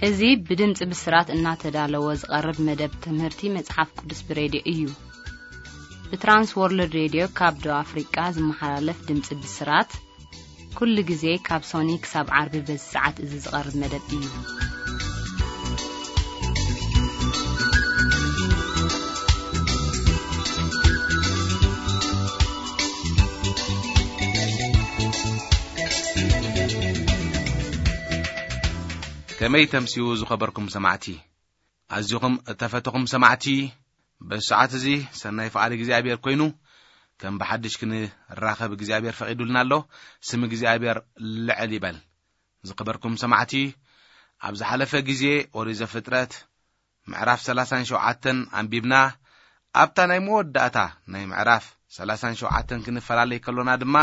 እዚ ብድምፂ ብስራት እናተዳለወ ዝቐርብ መደብ ትምህርቲ መጽሓፍ ቅዱስ ብሬድዮ እዩ። ብትራንስ ወርልድ ሬድዮ ካብ ደቡብ ኣፍሪቃ ዝመሓላለፍ ድምፂ ብስራት፣ ኩሉ ግዜ ካብ ሶኒ ክሳብ ዓርቢ በዚ ሰዓት እዚ ዝቐርብ መደብ እዩ። ከመይ ተምስዩ ዝኸበርኩም ሰማዕቲ? ኣዚኹም እተፈተኹም ሰማዕቲ፣ በዚ ሰዓት እዚ ሰናይ ፍቓድ እግዚኣብሔር ኮይኑ፣ ከም ብሓድሽ ክንራኸብ እግዚኣብሔር ፈቒዱልና ኣሎ። ስም እግዚኣብሔር ልዕል ይበል። ዝኸበርኩም ሰማዕቲ፣ ኣብ ዝሓለፈ ግዜ ኦሪት ዘፍጥረት ምዕራፍ ሰላሳን ሸውዓተን ኣንቢብና፣ ኣብታ ናይ መወዳእታ ናይ ምዕራፍ ሰላሳን ሸውዓተን ክንፈላለይ ከሎና ድማ፣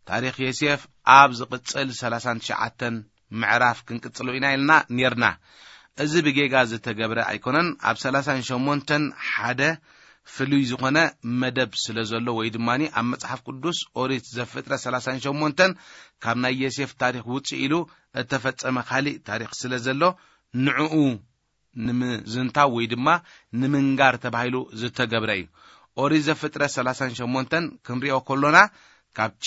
ታሪኽ ዮሴፍ ኣብ ዝቕጽል ሰላሳን ትሽዓተን ምዕራፍ ክንቅጽሎ ኢና ኢልና ኔርና። እዚ ብጌጋ ዝተገብረ ኣይኮነን። ኣብ ሰላሳን ሸሞንተን ሓደ ፍሉይ ዝኾነ መደብ ስለ ዘሎ፣ ወይ ድማ ኣብ መጽሓፍ ቅዱስ ኦሪት ዘፍጥረት ሰላሳን ሸሞንተን ካብ ናይ ዮሴፍ ታሪኽ ውጽእ ኢሉ እተፈጸመ ካሊእ ታሪኽ ስለ ዘሎ፣ ንዕኡ ንምዝንታው ወይ ድማ ንምንጋር ተባሂሉ ዝተገብረ እዩ። ኦሪት ዘፍጥረት ሰላሳን ሸሞንተን ክንሪኦ ከሎና፣ ካብቲ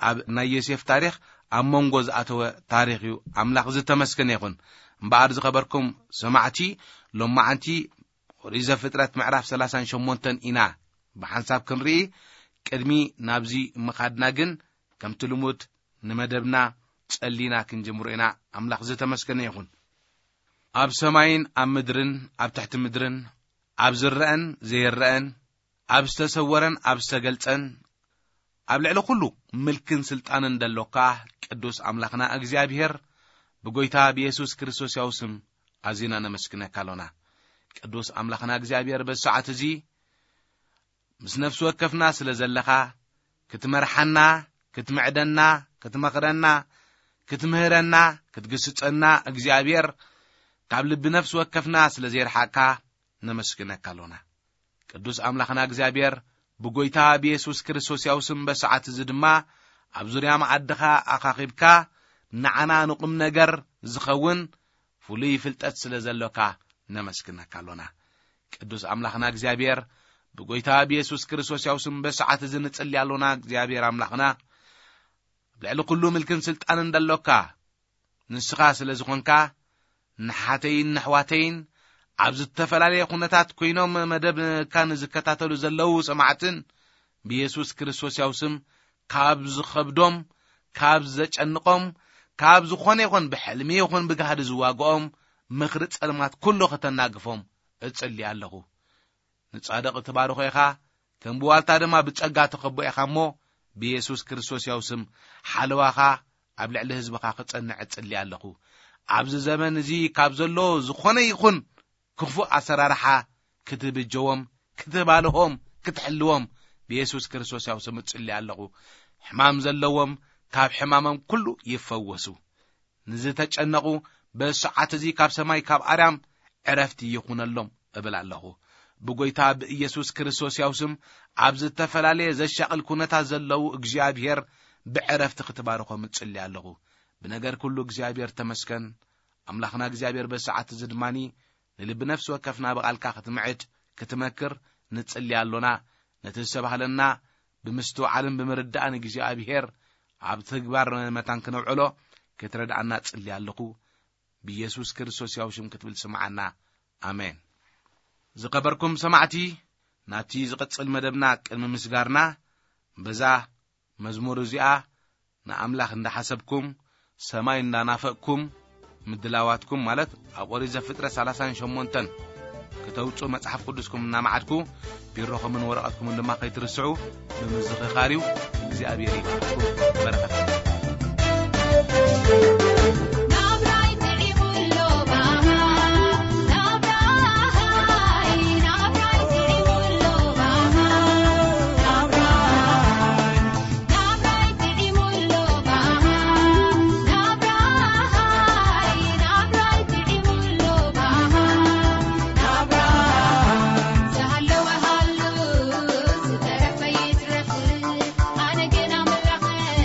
ኣብ ናይ ዮሴፍ ታሪኽ ኣብ መንጎ ዝኣተወ ታሪኽ እዩ። ኣምላኽ ዝተመስገነ ይኹን። እምበኣር ዝኸበርኩም ሰማዕቲ፣ ሎማዓንቲ ኦሪት ዘፍጥረት ምዕራፍ ሰላሳን ሸሞንተን ኢና ብሓንሳብ ክንርኢ። ቅድሚ ናብዚ ምኻድና ግን፣ ከምቲ ልሙድ ንመደብና ጸሊና ክንጅምሮ ኢና። ኣምላኽ ዝተመስገነ ይኹን። ኣብ ሰማይን ኣብ ምድርን፣ ኣብ ትሕቲ ምድርን፣ ኣብ ዝረአን ዘይረአን፣ ኣብ ዝተሰወረን ኣብ ዝተገልጸን፣ ኣብ ልዕሊ ኩሉ ምልክን ስልጣንን ደሎካ ቅዱስ ኣምላኽና እግዚኣብሔር፣ ብጎይታ ብየሱስ ክርስቶስ ያው ስም ኣዚና ነመስግነካ ኣሎና። ቅዱስ ኣምላኽና እግዚኣብሔር፣ በዚ ሰዓት እዚ ምስ ነፍሲ ወከፍና ስለ ዘለኻ፣ ክትመርሓና፣ ክትምዕደና፣ ክትመኽረና፣ ክትምህረና፣ ክትግስጸና እግዚኣብሔር፣ ካብ ልቢ ነፍሲ ወከፍና ስለ ዘይረሓቕካ ነመስግነካ ኣሎና። ቅዱስ ኣምላኽና እግዚኣብሔር፣ ብጎይታ ብየሱስ ክርስቶስ ያው ስም በሰዓት እዚ ድማ ኣብ ዙርያ መኣድኻ ኣኻኺብካ፣ ንዓና ንቁም ነገር ዝኸውን ፍሉይ ፍልጠት ስለ ዘሎካ ነመስግነካ ኣሎና። ቅዱስ ኣምላኽና እግዚኣብሔር፣ ብጎይታ ብየሱስ ክርስቶስ ያው ስም በሰዓት እዚ ንጽሊ ኣሎና። እግዚኣብሔር ኣምላኽና፣ ኣብ ልዕሊ ኩሉ ምልክን ስልጣንን ደሎካ ንስኻ ስለ ዝኾንካ፣ ንሓተይን ነሕዋተይን ኣብ ዝተፈላለየ ኩነታት ኮይኖም መደብካ ንዝከታተሉ ዘለዉ ሰማዕትን፣ ብየሱስ ክርስቶስ ያው ስም ካብ ዝኸብዶም፣ ካብ ዘጨንቖም፣ ካብ ዝኾነ ይኹን ብሕልሚ ይኹን ብጋህዲ ዝዋግኦም ምኽሪ ጸልማት ኩሉ ከተናግፎም እጽሊ ኣለኹ። ንጻድቕ ትባርኾ ኢኻ፣ ከም ብዋልታ ድማ ብጸጋ ትኸቦ ኢኻ እሞ፣ ብየሱስ ክርስቶስ ያው ስም ሓለዋኻ ኣብ ልዕሊ ህዝብኻ ክጸንዕ እጽሊ ኣለኹ። ኣብዚ ዘመን እዚ ካብ ዘሎ ዝኾነ ይኹን ክፉእ ኣሰራርሓ ክትብጀዎም፣ ክትባልሆም፣ ክትሕልዎም ብየሱስ ክርስቶስ ያው ስም እጽሊ ኣለኹ። ሕማም ዘለዎም ካብ ሕማሞም ኩሉ ይፈወሱ። ንዝተጨነቑ በዚ ሰዓት እዚ ካብ ሰማይ ካብ ኣርያም ዕረፍቲ ይኹነሎም እብል ኣለኹ። ብጎይታ ብኢየሱስ ክርስቶስ ያው ስም ኣብ ዝተፈላለየ ዘሻቕል ኩነታት ዘለዉ እግዚኣብሔር ብዕረፍቲ ክትባርኾም እጽሊ ኣለኹ። ብነገር ኩሉ እግዚኣብሔር ተመስገን። ኣምላኽና እግዚኣብሔር በዚ ሰዓት እዚ ድማኒ ንልቢ ነፍሲ ወከፍና ብቓልካ ክትምዕድ ክትመክር ንጽሊ ኣሎና። ነቲ ዝተባህለና ብምስትውዓልን ብምርዳእን እግዚኣብሔር ኣብ ተግባር መታን ክነውዕሎ ክትረድኣና ጽሊ ኣለኹ። ብኢየሱስ ክርስቶስ ያው ሽም ክትብል ስምዓና። ኣሜን። ዝኸበርኩም ሰማዕቲ፣ ናብቲ ዝቕጽል መደብና ቅድሚ ምስጋርና፣ በዛ መዝሙር እዚኣ ንኣምላኽ እንዳሓሰብኩም፣ ሰማይ እንዳናፈቅኩም፣ ምድላዋትኩም ማለት ኣብ ኦሪት ዘፍጥረት ሰላሳን ሸሞንተን ክተውጽኡ መጽሓፍ ቅዱስኩም እናመዓድኩ፣ ቢሮኹምን ወረቐትኩምን ድማ ከይትርስዑ ብምዝኽኻር እዩ። እግዚኣብሔር ይባርኩም። በረኸት ናብራይ ጥዒሙ ኣሎ ባባ፣ ናብራይ፣ ናብራይ ጥዒሙ ኣሎ ባባ፣ ናብራይ፣ ናብራይ ጥዒሙ ኣሎ ባባ፣ ናብራይ፣ ናብራይ ጥዒሙ ኣሎ ባባ፣ ናብራይ። ዝሃለወ ሃሉ፣ ዝተረፈ ይትረፍ፣ ኣነ ግን ኣምላኸይ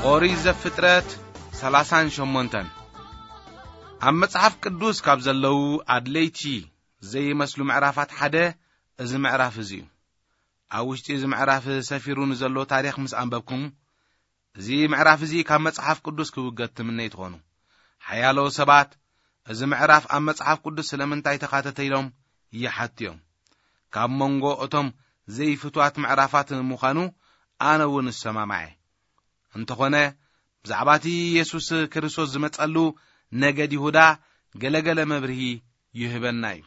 ኦሪት ዘፍጥረት ሰላሳን ሸሞንተን። ኣብ መጽሓፍ ቅዱስ ካብ ዘለዉ ኣድለይቲ ዘይመስሉ ምዕራፋት ሓደ እዚ ምዕራፍ እዚ እዩ። ኣብ ውሽጢ እዚ ምዕራፍ ሰፊሩ ንዘሎ ታሪኽ ምስ ኣንበብኩም፣ እዚ ምዕራፍ እዚ ካብ መጽሓፍ ቅዱስ ክውገድ ትምነዩ ትኾኑ። ሓያሎ ሰባት እዚ ምዕራፍ ኣብ መጽሓፍ ቅዱስ ስለምንታይ ተኻተተ ኢሎም ይሓቱ እዮም። ካብ መንጎ እቶም ዘይፍትዋት ምዕራፋት ምዃኑ ኣነ እውን እሰማማዕ እየ። እንተኾነ፣ ብዛዕባ እቲ የሱስ ክርስቶስ ዝመጸሉ ነገድ ይሁዳ ገለገለ መብርሂ ይህበና እዩ።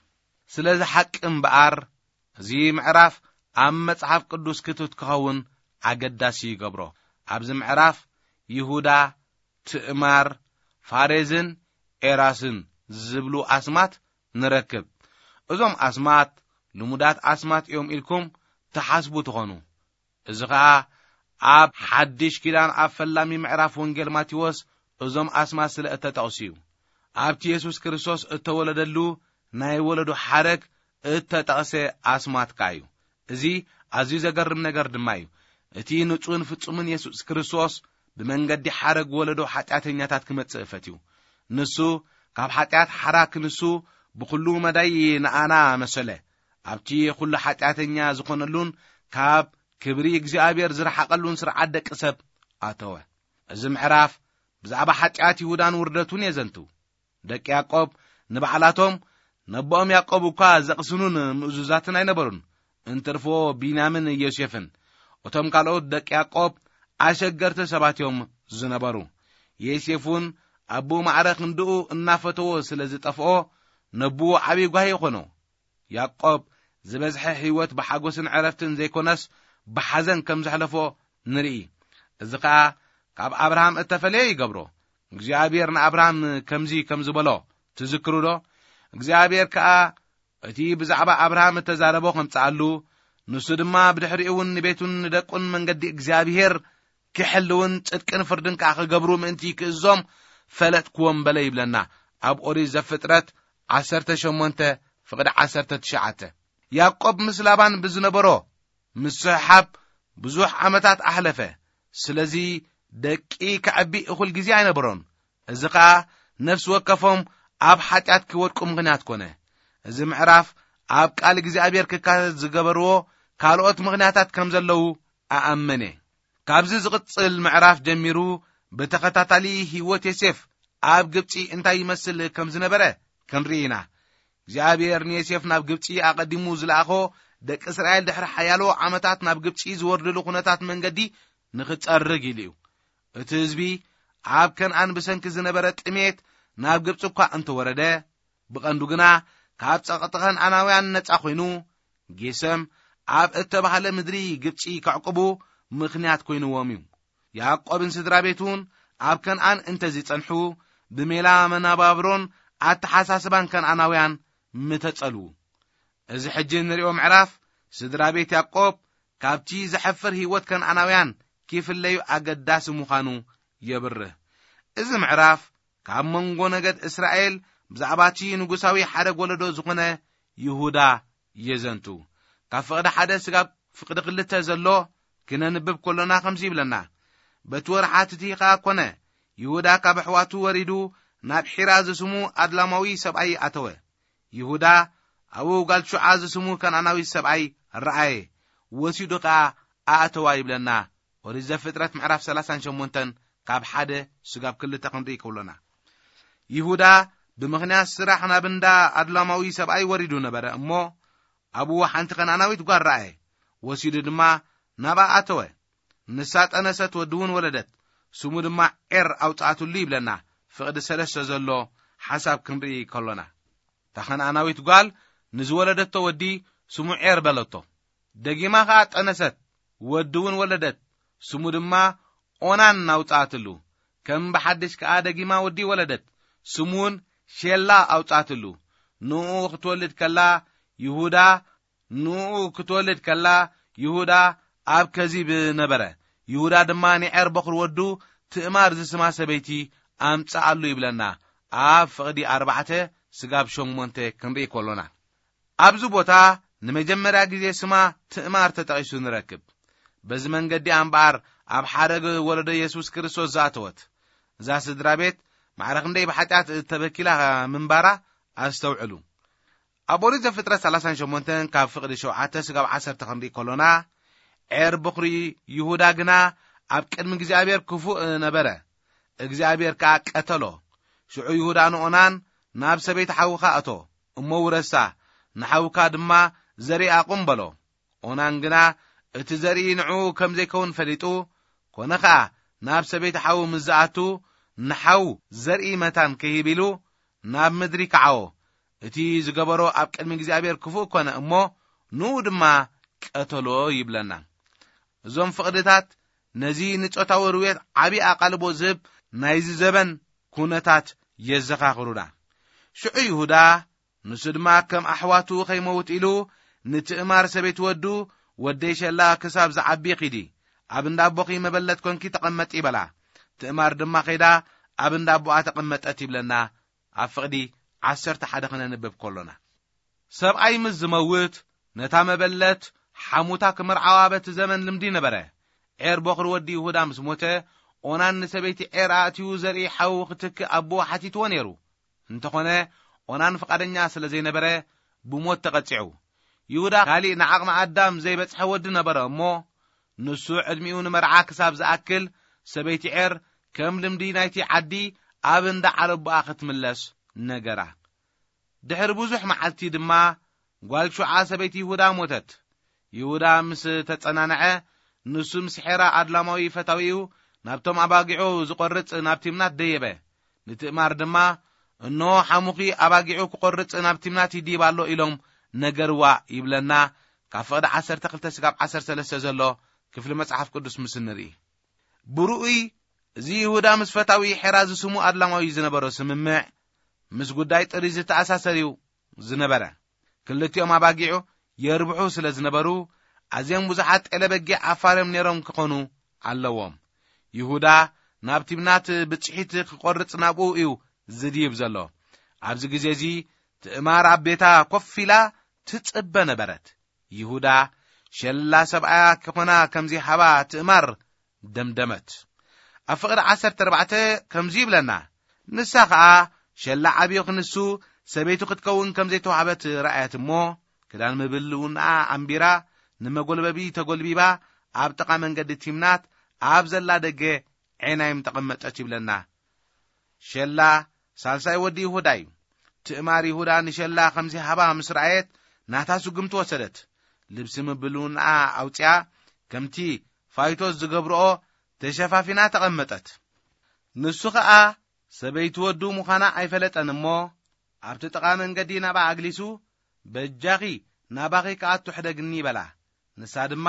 ስለዚ ሓቂ እምበኣር፣ እዚ ምዕራፍ ኣብ መጽሓፍ ቅዱስ ክቱት ክኸውን ኣገዳሲ ይገብሮ። ኣብዚ ምዕራፍ ይሁዳ፣ ትእማር፣ ፋሬዝን ኤራስን ዝብሉ ኣስማት ንረክብ። እዞም ኣስማት ልሙዳት ኣስማት እዮም ኢልኩም ትሓስቡ ትኾኑ። እዚ ኸኣ ኣብ ሓድሽ ኪዳን ኣብ ፈላሚ ምዕራፍ ወንጌል ማቴዎስ እዞም ኣስማት ስለ እተጠቕሱ እዩ። ኣብቲ የሱስ ክርስቶስ እተወለደሉ ናይ ወለዶ ሓረግ እተጠቕሰ ኣስማት ከኣ እዩ። እዚ ኣዝዩ ዘገርም ነገር ድማ እዩ። እቲ ንጹህን ፍጹምን የሱስ ክርስቶስ ብመንገዲ ሓረግ ወለዶ ሓጢኣተኛታት ክመጽእ ፈትዩ። ንሱ ካብ ሓጢኣት ሓራ ክንሱ ብኹሉ መዳይ ንኣና መሰለ። ኣብቲ ኩሉ ሓጢኣተኛ ዝኾነሉን ካብ ክብሪ እግዚኣብሔር ዝረሓቐሉን ስርዓት ደቂ ሰብ ኣተወ። እዚ ምዕራፍ ብዛዕባ ሓጢኣት ይሁዳን ውርደቱን የዘንቱ። ደቂ ያዕቆብ ንባዕላቶም ነቦኦም ያዕቆብ እኳ ዘቕስኑን ምእዙዛትን ኣይነበሩን። እንትርፎ ቢንያምን ዮሴፍን፣ እቶም ካልኦት ደቂ ያዕቆብ ኣሸገርቲ ሰባት እዮም ዝነበሩ። ዮሴፍ እውን ኣቦኡ ማዕረ ክንድኡ እናፈተዎ ስለ ዝጠፍኦ፣ ነቦኡ ዓብዪ ጓሂ ይኾኖ። ያዕቆብ ዝበዝሐ ህይወት ብሓጎስን ዕረፍትን ዘይኮነስ ብሓዘን ከም ዘሕለፎ ንርኢ። እዚ ኸኣ ካብ ኣብርሃም እተፈለየ ይገብሮ። እግዚኣብሔር ንኣብርሃም ከምዚ ከም ዝበሎ ትዝክሩ ዶ? እግዚኣብሔር ከኣ እቲ ብዛዕባ ኣብርሃም እተዛረቦ ከምጽኣሉ፣ ንሱ ድማ ብድሕሪኡ እውን ንቤቱን ንደቁን መንገዲ እግዚኣብሔር ክሕልውን ጽድቅን ፍርድን ከኣ ክገብሩ ምእንቲ ክእዞም ፈለጥክዎም በለ ይብለና። ኣብ ኦሪት ዘፍጥረት ዓሰርተ ሸሞንተ ፍቕዲ ዓሰርተ ትሽዓተ። ያዕቆብ ምስ ላባን ብዝነበሮ ምስሕሓብ ብዙሕ ዓመታት ኣሕለፈ። ስለዚ ደቂ ከዕቢ እኹል ግዜ ኣይነበሮን። እዚ ኸኣ ነፍሲ ወከፎም ኣብ ሓጢኣት ክወድቁ ምኽንያት ኮነ። እዚ ምዕራፍ ኣብ ቃል እግዚኣብሔር ክካተት ዝገበርዎ ካልኦት ምኽንያታት ከም ዘለዉ ኣኣመነ። ካብዚ ዝቕጽል ምዕራፍ ጀሚሩ ብተኸታታሊ ህይወት ዮሴፍ ኣብ ግብጺ እንታይ ይመስል ከም ዝነበረ ክንርኢ ኢና። እግዚኣብሔር ንዮሴፍ ናብ ግብጺ ኣቐዲሙ ዝለኣኾ ደቂ እስራኤል ድሕሪ ሓያሎ ዓመታት ናብ ግብጺ ዝወርድሉ ኩነታት መንገዲ ንኽጸርግ ኢሉ እዩ። እቲ ህዝቢ ኣብ ከነኣን ብሰንኪ ዝነበረ ጥሜት ናብ ግብጺ እኳ እንተወረደ፣ ብቐንዱ ግና ካብ ጸቕጢ ከነኣናውያን ነጻ ኮይኑ፣ ጌሰም ኣብ እተባህለ ምድሪ ግብጺ ከዕቁቡ ምኽንያት ኮይንዎም እዩ። ያዕቆብን ስድራ ቤቱን ኣብ ከነኣን እንተዝጸንሑ፣ ብሜላ መነባብሮን ኣተሓሳስባን ከነኣናውያን ምተጸልዉ። እዚ ሕጂ እንርእዮ ምዕራፍ፣ ስድራ ቤት ያዕቆብ ካብቲ ዘሕፍር ህይወት ከነኣናውያን ኪፍለዩ ኣገዳሲ ምዃኑ የብርህ። እዚ ምዕራፍ ካብ መንጎ ነገድ እስራኤል ብዛዕባ እቲ ንጉሳዊ ሓረግ ወለዶ ዝኾነ ይሁዳ የዘንቱ። ካብ ፍቕዲ ሓደ ስጋብ ፍቕዲ ክልተ ዘሎ ክነንብብ ከሎና ከምዚ ይብለና። በቲ ወርሓት እቲ ኸኣ ኮነ፣ ይሁዳ ካብ ኣሕዋቱ ወሪዱ ናብ ሒራ ዝስሙ ኣድላማዊ ሰብኣይ ኣተወ። ይሁዳ ኣብኡ ጓል ሹዓ ዝስሙ ከነኣናዊ ሰብኣይ ረኣየ፣ ወሲዱ ኸኣ ኣእተዋ ይብለና። ኦሪት ዘፍጥረት ምዕራፍ ሰላሳን ሸሞንተን ካብ ሓደ ስጋብ ክልተ ክንርኢ ከሎና። ይሁዳ ብምኽንያት ስራሕ ናብ እንዳ ኣድላማዊ ሰብኣይ ወሪዱ ነበረ እሞ፣ ኣብኡ ሓንቲ ከነኣናዊት ጓል ረኣየ፣ ወሲዱ ድማ ናብኣ ኣተወ። ንሳ ጠነሰት፣ ወዲ እውን ወለደት፣ ስሙ ድማ ዔር ኣውጽኣትሉ ይብለና። ፍቕዲ ሰለስተ ዘሎ ሓሳብ ክንርኢ ከሎና፣ እታ ከነኣናዊት ጓል ንዝወለደቶ ወዲ ስሙ ዔር በለቶ። ደጊማ ኸኣ ጠነሰት፣ ወዲ እውን ወለደት፣ ስሙ ድማ ኦናን ኣውጽኣትሉ። ከም ብሓድሽ ከኣ ደጊማ ወዲ ወለደት፣ ስሙ እውን ሼላ ኣውጽኣትሉ። ንኡ ክትወልድ ከላ ይሁዳ፣ ንኡ ክትወልድ ከላ ይሁዳ ኣብ ከዚብ ነበረ። ይሁዳ ድማ ንዔር በኹር ወዱ ትእማር ዝስማ ሰበይቲ ኣምጽኣሉ ይብለና። ኣብ ፍቕዲ ኣርባዕተ ስጋብ ሸሞንተ ክንርኢ ከሎና፣ ኣብዚ ቦታ ንመጀመርያ ግዜ ስማ ትእማር ተጠቒሱ ንረክብ። በዚ መንገዲ እምበኣር ኣብ ሓረግ ወለዶ የሱስ ክርስቶስ ዝኣተወት እዛ ስድራ ቤት፣ ማዕረ ክንደይ ብሓጢኣት እተበኪላ ምንባራ ኣስተውዕሉ። ኣብ ኦሪት ዘፍጥረት ሰላሳን ሸሞንተን ካብ ፍቕዲ ሸውዓተ ስጋብ ዓሰርተ ክንርኢ ከሎና፣ ዔር በኹሪ ይሁዳ ግና ኣብ ቅድሚ እግዚኣብሔር ክፉእ ነበረ፣ እግዚኣብሔር ከኣ ቀተሎ። ሽዑ ይሁዳ ንኦናን፣ ናብ ሰበይቲ ሓውኻ እቶ እሞ ውረሳ፣ ንሓውካ ድማ ዘርኢ ኣቑም በሎ። ኦናን ግና እቲ ዘርኢ ንዕኡ ከም ዘይከውን ፈሊጡ፣ ኮነ ኸኣ ናብ ሰበይቲ ሓዉ ምስ ዝኣቱ፣ ንሓዉ ዘርኢ መታን ክሂብ ኢሉ ናብ ምድሪ ከዓዎ። እቲ ዝገበሮ ኣብ ቅድሚ እግዚኣብሔር ክፉእ ኮነ እሞ፣ ንኡ ድማ ቀተሎ ይብለና። እዞም ፍቕድታት ነዚ ንጾታዊ ርውየት ዓቢ ኣቓልቦ ዝህብ ናይዚ ዘበን ኩነታት የዘኻኽሩና። ሽዑ ይሁዳ፣ ንሱ ድማ ከም ኣሕዋቱ ኸይመውት ኢሉ ንትእማር ሰበይቲ ወዱ፣ ወደይ ሸላ ክሳብ ዝዓቢ ኺዲ፣ ኣብ እንዳ ኣቦኺ መበለት ኮንኪ ተቐመጢ በላ። ትእማር ድማ ኸይዳ ኣብ እንዳ ኣቦኣ ተቐመጠት ይብለና። ኣብ ፍቕዲ ዓሰርተ ሓደ ኸነንብብ ከሎና፣ ሰብኣይ ምስ ዝመውት ነታ መበለት ሓሙታ ክምርዓዋ በቲ ዘመን ልምዲ ነበረ። ዔር በኹሪ ወዲ ይሁዳ ምስ ሞተ፣ ኦናን ንሰበይቲ ዔር ኣእትዩ ዘርኢ ሓዉ ክትክእ ኣቦኡ ሓቲትዎ ነይሩ። እንተኾነ ኦናን ፍቓደኛ ስለ ዘይነበረ ብሞት ተቐጺዑ። ይሁዳ ካሊእ ንዓቕሚ ኣዳም ዘይበጽሐ ወዲ ነበረ እሞ፣ ንሱ ዕድሚኡ ንመርዓ ክሳብ ዝኣክል ሰበይቲ ዔር ከም ልምዲ ናይቲ ዓዲ ኣብ እንዳ ዓለቦኣ ክትምለስ ነገራ። ድሕሪ ብዙሕ መዓልቲ ድማ ጓል ሹዓ ሰበይቲ ይሁዳ ሞተት። ይሁዳ ምስ ተጸናንዐ፣ ንሱ ምስ ሔራ ኣድላማዊ ፈታዊኡ ናብቶም ኣባጊዑ ዝቖርጽ ናብ ቲምናት ደየበ። ንትእማር ድማ፣ "እንሆ ሓሙኺ ኣባጊዑ ክቖርጽ ናብ ቲምናት ይድይብ ኣሎ" ኢሎም ነገርዋ ይብለና። ካብ ፍቕዲ ዓሰርተ ክልተ ስጋብ ዓሰርተ ሰለስተ ዘሎ ክፍሊ መጽሓፍ ቅዱስ ምስ እንርኢ፣ ብርኡይ እዚ ይሁዳ ምስ ፈታዊ ሔራ ዝስሙ ኣድላማዊ ዝነበሮ ስምምዕ ምስ ጉዳይ ጥሪ ዝተኣሳሰር እዩ ዝነበረ። ክልቲኦም ኣባጊዑ የርብሑ ስለ ዝነበሩ፣ ኣዝዮም ብዙሓት ጤለ በጊዕ ኣፋርዮም ነይሮም ክኾኑ ኣለዎም። ይሁዳ ናብ ቲምናት ብጽሒት ክቖርጽ ናብኡ እዩ ዝድይብ ዘሎ። ኣብዚ ግዜ እዚ ትእማር ኣብ ቤታ ኮፍ ኢላ ትጽበ ነበረት። ይሁዳ ሸላ ሰብኣያ ክኾና ከም ዘይሃባ ትእማር ደምደመት። ኣብ ፍቕዲ ዓሰርተ ኣርባዕተ ከምዚ ይብለና፣ ንሳ ኸኣ ሸላ ዓብዮ ክንሱ ሰበይቱ ክትከውን ከም ዘይተዋህበት ረኣየት እሞ፣ ክዳን ምብልውንኣ ኣንቢራ፣ ንመጎልበቢ ተጎልቢባ፣ ኣብ ጥቓ መንገዲ ቲምናት ኣብ ዘላ ደገ ዔናይም ተቐመጠት ይብለና። ሸላ ሳልሳይ ወዲ ይሁዳ እዩ። ትእማር ይሁዳ ንሸላ ከምዚ ሃባ ምስ ረኣየት፣ ናታ ስጉምቲ ወሰደት። ልብሲ ምብልውንኣ ኣውጽኣ፣ ከምቲ ፋይቶት ዝገብርኦ ተሸፋፊና ተቐመጠት። ንሱ ኸኣ ሰበይቲ ወዱ ምዃና ኣይፈለጠን እሞ፣ ኣብቲ ጥቓ መንገዲ ናብኣ ኣግሊሱ፣ "በጃኺ ናባኺ ክኣቱ ሕደግኒ" በላ። ንሳ ድማ፣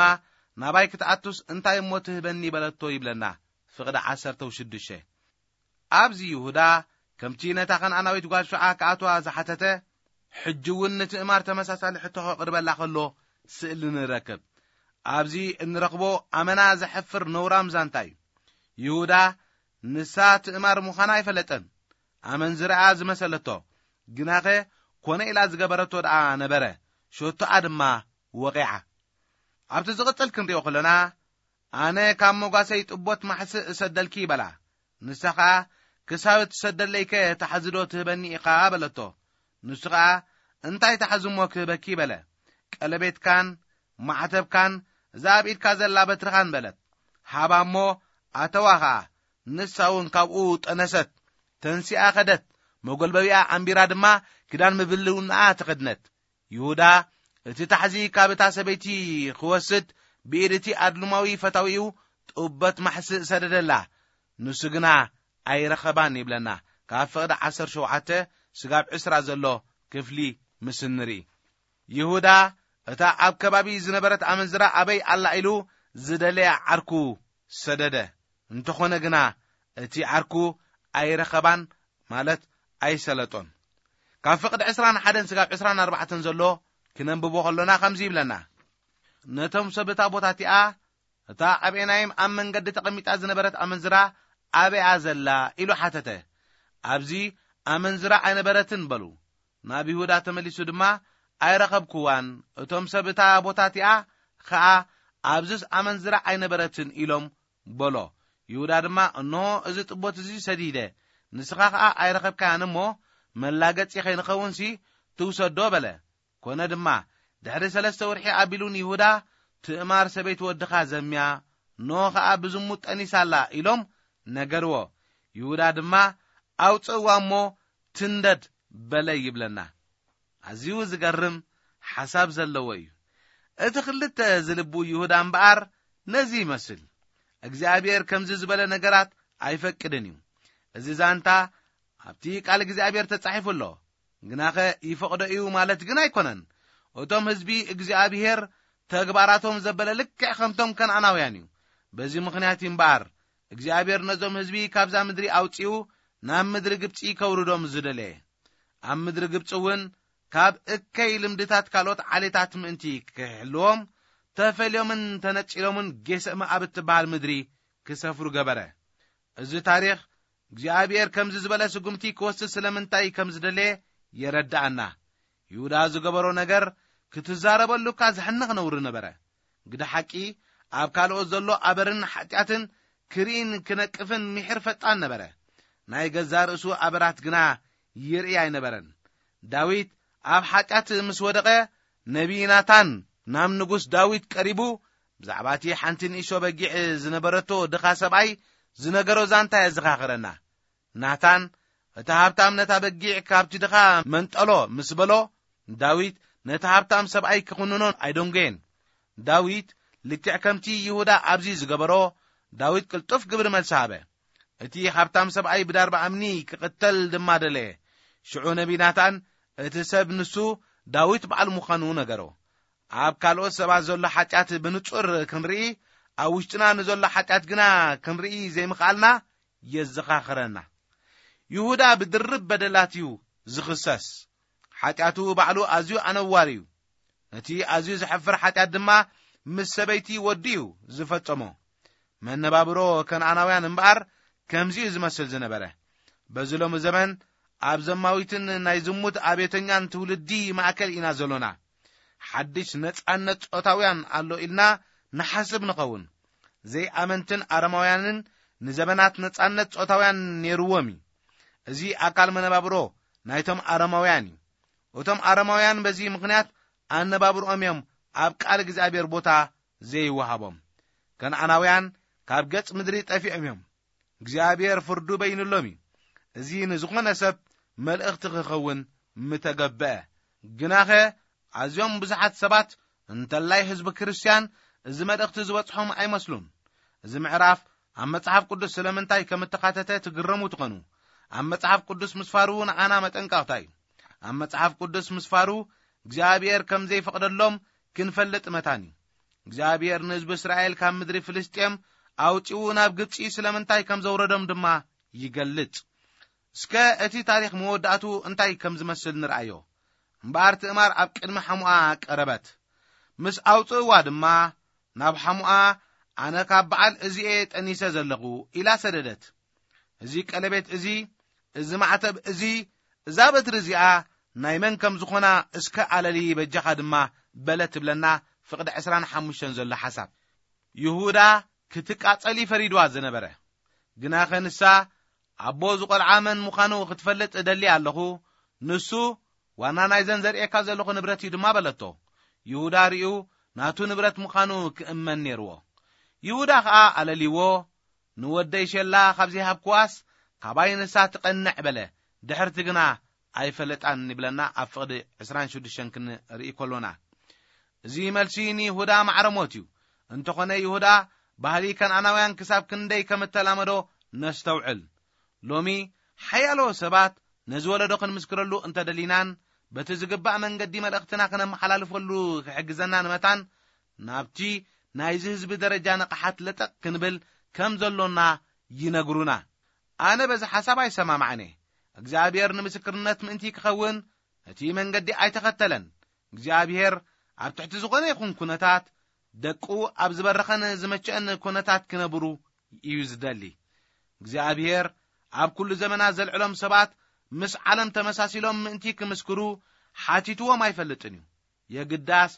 "ናባይ ክትኣቱስ እንታይ እሞ ትህበኒ?" በለቶ ይብለና። ፍቕዲ ዓሰርተ ሽዱሽተ። ኣብዚ ይሁዳ ከምቲ ነታ ከነኣናዊት ጓል ሸዓ ክኣትዋ ዝሓተተ፣ ሕጂ እውን ንትእማር ተመሳሳሊ ሕቶ ከቕርበላ ከሎ ስእሊ ንረክብ። ኣብዚ እንረኽቦ ኣመና ዘሕፍር ነውራም ዛንታ እዩ። ይሁዳ ንሳ ትእማር ምዃና ኣይፈለጠን። ኣመንዝራኣ ዝመሰለቶ፣ ግናኸ ኮነ ኢላ ዝገበረቶ ደኣ ነበረ። ሸቶኣ ድማ ወቒዓ። ኣብቲ ዝቕጽል ክንሪኦ ከለና፣ "ኣነ ካብ መጓሰይ ጥቦት ማሕስእ እሰደልኪ" በላ። ንሳ ኸኣ፣ "ክሳብ እትሰደለይከ ታሕዚ ዶ ትህበኒ ኢኻ?" በለቶ። ንሱ ኸኣ፣ "እንታይ ታሕዚ እሞ ክህበኪ?" በለ። "ቀለቤትካን ማዕተብካን እዛ ኣብ ኢድካ ዘላ በትርኻን" በለት። ሃባ እሞ ኣተዋ ኸኣ። ንሳ እውን ካብኡ ጠነሰት። ተንሲኣ ኸደት። መጎልበቢኣ ኣንቢራ ድማ ክዳን ምብልውንኣ ተኸድነት። ይሁዳ እቲ ታሕዚ ካብ እታ ሰበይቲ ክወስድ ብኢድ እቲ ኣድልማዊ ፈታዊኡ ጥበት ማሕስእ ሰደደላ። ንሱ ግና ኣይረኸባን ይብለና። ካብ ፍቕዲ ዓሰርተ ሸውዓተ ስጋብ ዕስራ ዘሎ ክፍሊ ምስ እንርኢ፣ ይሁዳ እታ ኣብ ከባቢ ዝነበረት ኣመንዝራ ኣበይ ኣላ ኢሉ ዝደለያ ዓርኩ ሰደደ። እንተኾነ ግና እቲ ዓርኩ ኣይረኸባን፣ ማለት ኣይሰለጦን። ካብ ፍቕዲ ዕስራን ሓደን ስጋብ ዕስራን ኣርባዕተን ዘሎ ክነንብቦ ከሎና ከምዚ ይብለና። ነቶም ሰብ እታ ቦታ እቲኣ፣ "እታ ኣብ ኤናይም ኣብ መንገዲ ተቐሚጣ ዝነበረት ኣመንዝራ ኣበይኣ ዘላ?" ኢሉ ሓተተ። "ኣብዚ ኣመንዝራ ኣይነበረትን" በሉ። ናብ ይሁዳ ተመሊሱ ድማ፣ "ኣይረኸብክዋን፣ እቶም ሰብ እታ ቦታ እቲኣ ኸኣ ኣብዝስ ኣመንዝራ ኣይነበረትን ኢሎም በሎ። ይሁዳ ድማ፣ እንሆ፣ እዚ ጥቦት እዚ ሰዲደ፣ ንስኻ ኸኣ ኣይረኸብካያን እሞ፣ መላገጺ ኸይንኸውንሲ ትውሰዶ በለ። ኮነ ድማ፣ ድሕሪ ሰለስተ ወርሒ ኣቢሉ ንይሁዳ፣ ትእማር ሰበይቲ ወድኻ ዘምያ፣ ኖ ኸኣ ብዝሙት ጠኒሳ ኣላ ኢሎም ነገርዎ። ይሁዳ ድማ፣ ኣውጽእዋ እሞ ትንደድ በለ ይብለና። ኣዝዩ ዝገርም ሓሳብ ዘለዎ እዩ። እቲ ክልተ ዝልቡ ይሁዳ እምበኣር ነዚ ይመስል። እግዚኣብሔር ከምዚ ዝበለ ነገራት ኣይፈቅድን እዩ። እዚ ዛንታ ኣብቲ ቃል እግዚኣብሔር ተጻሒፉ ኣሎ። ግናኸ ይፈቕዶ እዩ ማለት ግን ኣይኮነን። እቶም ህዝቢ እግዚኣብሔር ተግባራቶም ዘበለ ልክዕ ከምቶም ከነኣናውያን እዩ። በዚ ምኽንያት እዩ እምበኣር እግዚኣብሔር ነዞም ህዝቢ ካብዛ ምድሪ ኣውጺኡ ናብ ምድሪ ግብጺ ከውርዶም ዝደለየ። ኣብ ምድሪ ግብጺ እውን ካብ እከይ ልምድታት ካልኦት ዓሌታት ምእንቲ ክሕልዎም፣ ተፈልዮምን ተነጺሎምን ጌሰ መኣብ እትበሃል ምድሪ ክሰፍሩ ገበረ። እዚ ታሪኽ እግዚኣብሔር ከምዚ ዝበለ ስጉምቲ ክወስድ ስለምንታይ ከም ዝደለየ የረድኣና። ይሁዳ ዝገበሮ ነገር ክትዛረበሉ እኳ ዘሕንቕ ነውሪ ነበረ። ግደ ሓቂ፣ ኣብ ካልኦት ዘሎ ኣበርን ሓጢኣትን ክርእን ክነቅፍን ምሒር ፈጣን ነበረ። ናይ ገዛ ርእሱ ኣበራት ግና ይርኢ ኣይነበረን። ዳዊት ኣብ ሓጢኣት ምስ ወደቐ፣ ነቢይ ናታን ናብ ንጉስ ዳዊት ቀሪቡ፣ ብዛዕባ እቲ ሓንቲ ንእሽቶ በጊዕ ዝነበረቶ ድኻ ሰብኣይ ዝነገሮ ዛንታ የዘኻኽረና። ናታን፣ እቲ ሃብታም ነታ በጊዕ ካብቲ ድኻ መንጠሎ ምስ በሎ፣ ዳዊት ነቲ ሃብታም ሰብኣይ ክኹንኖ ኣይደንጎየን። ዳዊት፣ ልክዕ ከምቲ ይሁዳ ኣብዚ ዝገበሮ፣ ዳዊት ቅልጡፍ ግብሪ መልሲ ሃበ። እቲ ሃብታም ሰብኣይ ብዳርባ እምኒ ክቕተል ድማ ደለየ። ሽዑ ነቢ ናታን፣ እቲ ሰብ ንሱ ዳዊት በዓል ምዃኑ ነገሮ። ኣብ ካልኦት ሰባት ዘሎ ሓጢኣት ብንጹር ክንርኢ፣ ኣብ ውሽጥና ንዘሎ ሓጢኣት ግና ክንርኢ ዘይምኽኣልና የዘኻኽረና። ይሁዳ ብድርብ በደላት እዩ ዝኽሰስ። ሓጢኣቱ ባዕሉ ኣዝዩ ኣነዋሪ እዩ። ነቲ ኣዝዩ ዘሕፍር ሓጢኣት ድማ ምስ ሰበይቲ ወዱ እዩ ዝፈጸሞ። መነባብሮ ከነኣናውያን እምበኣር ከምዚ እዩ ዝመስል ዝነበረ። በዚ ሎሚ ዘመን ኣብ ዘማዊትን ናይ ዝሙት ኣቤተኛን ትውልዲ ማእከል ኢና ዘሎና። ሓድሽ ነጻነት ጾታውያን ኣሎ ኢልና ንሓስብ ንኸውን። ዘይኣመንትን ኣረማውያንን ንዘበናት ነጻነት ጾታውያን ነይርዎም እዩ። እዚ ኣካል መነባብሮ ናይቶም ኣረማውያን እዩ። እቶም ኣረማውያን በዚ ምኽንያት ኣነባብርኦም እዮም ኣብ ቃል እግዚኣብሔር ቦታ ዘይወሃቦም። ከነኣናውያን ካብ ገጽ ምድሪ ጠፊኦም እዮም። እግዚኣብሔር ፍርዱ በይንሎም እዩ። እዚ ንዝኾነ ሰብ መልእኽቲ ክኸውን ምተገበአ። ግናኸ ኣዝዮም ብዙሓት ሰባት፣ እንተላይ ህዝቢ ክርስትያን፣ እዚ መልእኽቲ ዝበጽሖም ኣይመስሉን። እዚ ምዕራፍ ኣብ መጽሓፍ ቅዱስ ስለምንታይ ከም እተኻተተ ትግረሙ ትኾኑ። ኣብ መጽሓፍ ቅዱስ ምስፋሩ ንዓና መጠንቀቕታ እዩ። ኣብ መጽሓፍ ቅዱስ ምስፋሩ እግዚኣብሔር ከም ዘይፈቕደሎም ክንፈልጥ መታን እዩ። እግዚኣብሔር ንህዝቢ እስራኤል ካብ ምድሪ ፍልስጤም ኣውጺኡ ናብ ግብጺ ስለምንታይ ከም ዘውረዶም ድማ ይገልጽ። እስከ እቲ ታሪኽ መወዳእቱ እንታይ ከም ዝመስል ንርኣዮ። እምበኣር ትእማር ኣብ ቅድሚ ሓሙኣ ቀረበት። ምስ ኣውጽእዋ ድማ ናብ ሓሙኣ፣ ኣነ ካብ በዓል እዚኤ ጠኒሰ ዘለኹ ኢላ ሰደደት። እዚ ቀለቤት እዚ፣ እዚ ማዕተብ እዚ፣ እዛ በትሪ እዚኣ ናይ መን ከም ዝኾና እስከ ኣለሊ በጃኻ ድማ በለ ትብለና ፍቕዲ ዕስራን ሓሙሽተን ዘሎ ሓሳብ። ይሁዳ ክትቃጸል እዩ ፈሪድዋ ዝነበረ። ግናኸ ንሳ ኣቦ ዝቖልዓ መን ምዃኑ ክትፈልጥ እደሊ ኣለኹ። ንሱ ዋና ናይዘን ዘርእየካ ዘለኹ ንብረት እዩ ድማ በለቶ። ይሁዳ ርእዩ ናቱ ንብረት ምዃኑ ክእመን ነይርዎ። ይሁዳ ኸኣ ኣለሊዎ፣ ንወደይ ሸላ ካብ ዘይሃብክዋስ ካባይ ንሳ ትቐንዕ በለ። ድሕርቲ ግና ኣይፈለጣን ይብለና ኣብ ፍቕዲ ዕስራን ሽዱሽተን ክንርኢ ከሎና። እዚ መልሲ ንይሁዳ ማዕረ ሞት እዩ። እንተኾነ ይሁዳ ባህሊ ከነኣናውያን ክሳብ ክንደይ ከም እተላመዶ ነስተውዕል። ሎሚ ሓያሎ ሰባት ነዚ ወለዶ ክንምስክረሉ እንተደሊናን በቲ ዝግባእ መንገዲ መልእኽትና ክነመሓላልፈሉ ክሕግዘናን መታን ናብቲ ናይዚ ህዝቢ ደረጃ ንቕሓት ለጠቕ ክንብል ከም ዘሎና ይነግሩና። ኣነ በዚ ሓሳብ ኣይሰማማዕን እየ። እግዚኣብሔር ንምስክርነት ምእንቲ ክኸውን እቲ መንገዲ ኣይተኸተለን። እግዚኣብሔር ኣብ ትሕቲ ዝኾነ ይኹን ኩነታት ደቁ ኣብ ዝበረኸን ዝመቸአን ኩነታት ክነብሩ እዩ ዝደሊ። እግዚኣብሔር ኣብ ኩሉ ዘመናት ዘልዕሎም ሰባት ምስ ዓለም ተመሳሲሎም ምእንቲ ክምስክሩ ሓቲትዎም ኣይፈልጥን እዩ። የግዳስ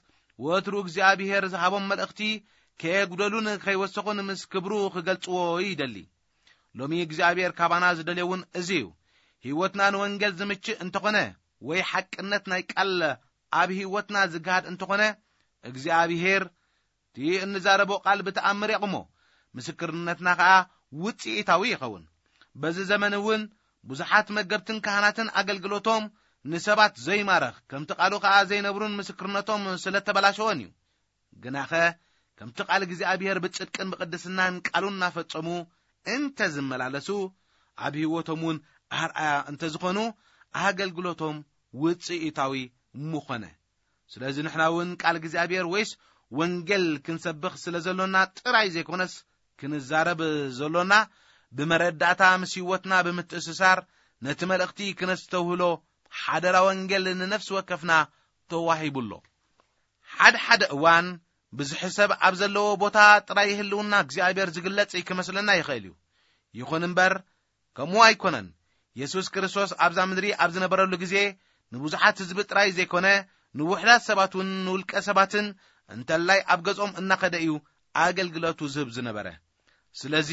ወትሩ እግዚኣብሔር ዝሃቦም መልእኽቲ ከየጉደሉን ከይወሰኹን ምስ ክብሩ ክገልጽዎ ይደሊ። ሎሚ እግዚኣብሔር ካባና ዝደልየውን እዚ እዩ። ህይወትና ንወንጌል ዝምችእ እንተኾነ፣ ወይ ሓቅነት ናይ ቃል ኣብ ህይወትና ዝግሃድ እንተኾነ፣ እግዚኣብሔር እቲ እንዛረቦ ቃል ብተኣምር የቕሞ፣ ምስክርነትና ኸኣ ውጽኢታዊ ይኸውን። በዚ ዘመን እውን ብዙሓት መገብትን ካህናትን ኣገልግሎቶም ንሰባት ዘይማረኽ፣ ከምቲ ቃሉ ኸኣ ዘይነብሩን ምስክርነቶም ስለ ተበላሸወን እዩ። ግናኸ ከምቲ ቃል እግዚኣብሔር ብጽድቅን ብቕድስናን ቃሉ እናፈጸሙ እንተ ዝመላለሱ፣ ኣብ ህይወቶም እውን ኣርኣያ እንተ ዝኾኑ፣ ኣገልግሎቶም ውጽኢታዊ ምኾነ። ስለዚ ንሕና እውን ቃል እግዚኣብሔር ወይስ ወንጌል ክንሰብኽ ስለ ዘሎና ጥራይ ዘይኮነስ፣ ክንዛረብ ዘሎና ብመረዳእታ ምስ ህይወትና ብምትእስሳር፣ ነቲ መልእኽቲ ክነስተውህሎ ሓደራ ወንጌል ንነፍሲ ወከፍና ተዋሂቡ ኣሎ። ሓደ ሓደ እዋን ብዙሕ ሰብ ኣብ ዘለዎ ቦታ ጥራይ ህልውና እግዚኣብሔር ዝግለጽ ክመስለና ይኽእል እዩ። ይኹን እምበር፣ ከምኡ ኣይኮነን። የሱስ ክርስቶስ ኣብዛ ምድሪ ኣብ ዝነበረሉ ግዜ፣ ንብዙሓት ህዝቢ ጥራይ ዘይኮነ፣ ንውሑዳት ሰባት እውን፣ ንውልቀ ሰባትን እንተላይ ኣብ ገጾም እናኸደ እዩ ኣገልግሎቱ ዝህብ ዝነበረ። ስለዚ፣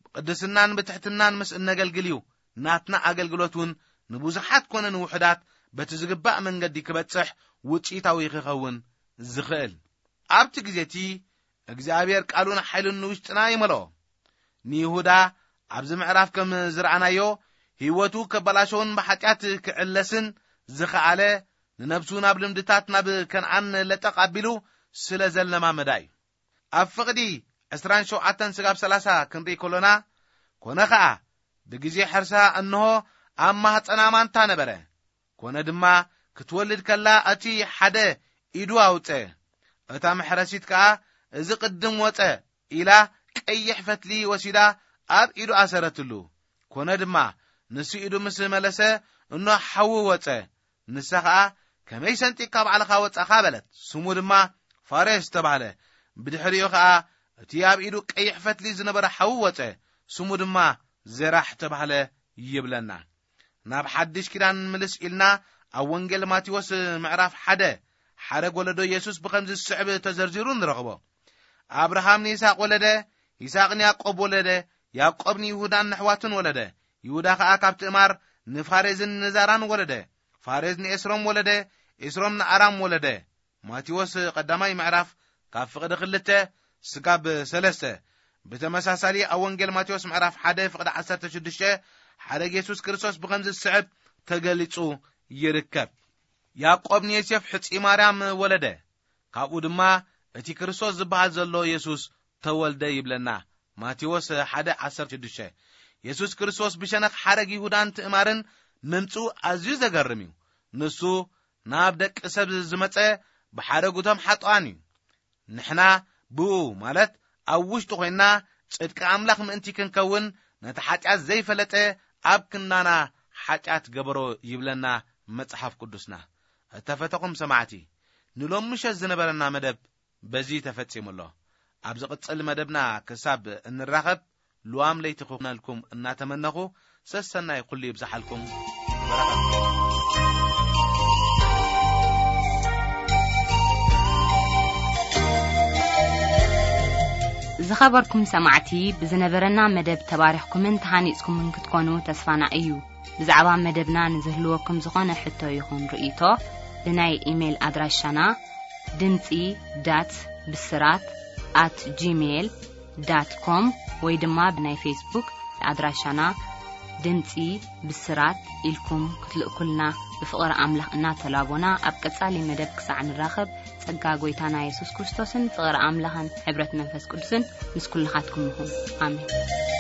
ብቅድስናን ብትሕትናን ምስ እነገልግል እዩ ናትና ኣገልግሎት እውን ንብዙሓት ኮነ ንውሑዳት በቲ ዝግባእ መንገዲ ክበጽሕ ውጽኢታዊ ክኸውን ዝኽእል። ኣብቲ ግዜ እቲ እግዚኣብሔር ቃሉን ሓይሉን ንውሽጥና ይመልኦ። ንይሁዳ ኣብዚ ምዕራፍ ከም ዝረኣናዮ፣ ህይወቱ ከበላሸውን ብሓጢኣት ክዕለስን ዝኸኣለ፣ ንነብሱ ናብ ልምድታት ናብ ከነኣን ለጠቕ ኣቢሉ ስለ ዘለማመዳ እዩ። ኣብ ፍቕዲ ዕስራን ሸውዓተን ስጋብ ሰላሳ ክንርኢ ከሎና፣ ኮነ ኸኣ ብግዜ ሕርሳ እንሆ ኣብ ማህፀና ማንታ ነበረ። ኮነ ድማ ክትወልድ ከላ እቲ ሓደ ኢዱ ኣውፀ። እታ መሕረሲት ከኣ እዚ ቅድም ወፀ ኢላ ቀይሕ ፈትሊ ወሲዳ ኣብ ኢዱ ኣሰረትሉ። ኮነ ድማ ንሱ ኢዱ ምስ መለሰ እኖ ሓዊ ወፀ። ንሳ ኸኣ ከመይ ሰንጢቕካ ባዕልኻ ወፃኻ በለት። ስሙ ድማ ፋሬስ ተባህለ። ብድሕሪኡ ኸኣ እቲ ኣብ ኢዱ ቀይሕ ፈትሊ ዝነበረ ሓዊ ወፀ። ስሙ ድማ ዜራሕ ተባህለ ይብለና። ናብ ሓድሽ ኪዳን ምልስ ኢልና ኣብ ወንጌል ማቴዎስ ምዕራፍ ሓደ ሓረግ ወለዶ የሱስ ብኸምዚ ዝስዕብ ተዘርዚሩ ንረኽቦ። ኣብርሃም ንይስሐቅ ወለደ፣ ይስሐቅ ንያዕቆብ ወለደ፣ ያዕቆብ ንይሁዳን ንኣሕዋቱን ወለደ። ይሁዳ ኸኣ ካብ ትእማር ንፋሬዝን ንዛራን ወለደ። ፋሬዝ ንኤስሮም ወለደ፣ ኤስሮም ንኣራም ወለደ። ማቴዎስ ቀዳማይ ምዕራፍ ካብ ፍቕዲ ክልተ ስጋብ ሰለስተ። ብተመሳሳሊ ኣብ ወንጌል ማቴዎስ ምዕራፍ ሓደ ፍቕዲ ዓሰርተ ሽዱሽተ ሓረግ የሱስ ክርስቶስ ብኸምዚ ዝስዕብ ተገሊጹ ይርከብ። ያዕቆብ ንዮሴፍ ሕጺ ማርያም ወለደ። ካብኡ ድማ እቲ ክርስቶስ ዝበሃል ዘሎ የሱስ ተወልደ ይብለና። ማቴዎስ ሓደ ዓሰርተ ሽዱሽተ። የሱስ ክርስቶስ ብሸነኽ ሓረግ ይሁዳን ትእማርን ምምጽኡ ኣዝዩ ዘገርም እዩ። ንሱ ናብ ደቂ ሰብ ዝመጸ ብሓረጉቶም ሓጥኣን እዩ። ንሕና ብኡ ማለት ኣብ ውሽጡ ኮይንና ጽድቂ ኣምላኽ ምእንቲ ክንከውን ነቲ ሓጢኣት ዘይፈለጠ ኣብ ክንዳና ሓጢኣት ገበሮ ይብለና መጽሓፍ ቅዱስና። እተፈተኹም ሰማዕቲ፣ ንሎም ምሸት ዝነበረና መደብ በዚ ተፈጺሙ ኣሎ። ኣብ ዝቕጽል መደብና ክሳብ እንራኸብ ልዋም ለይቲ ክኹነልኩም እናተመነኹ ሰሰናይ ኩሉ ይብዝሓልኩም። በረኸት። ዝኸበርኩም ሰማዕቲ፣ ብዝነበረና መደብ ተባሪኽኩምን ተሃኒጽኩምን ክትኮኑ ተስፋና እዩ። ብዛዕባ መደብና ንዝህልወኩም ዝኾነ ሕቶ ይኹን ርእይቶ፣ ብናይ ኢሜይል ኣድራሻና ድምጺ ዳት ብስራት ኣት ጂሜይል ዳት ኮም ወይ ድማ ብናይ ፌስቡክ ኣድራሻና ድምጺ ብስራት ኢልኩም ክትልእኩልና ብፍቕሪ ኣምላኽ እናተላቦና፣ ኣብ ቀጻሊ መደብ ክሳዕ ንራኸብ፣ ጸጋ ጐይታና የሱስ ክርስቶስን ፍቕሪ ኣምላኽን ሕብረት መንፈስ ቅዱስን ምስ ኩልኻትኩም ይኹን። ኣሜን።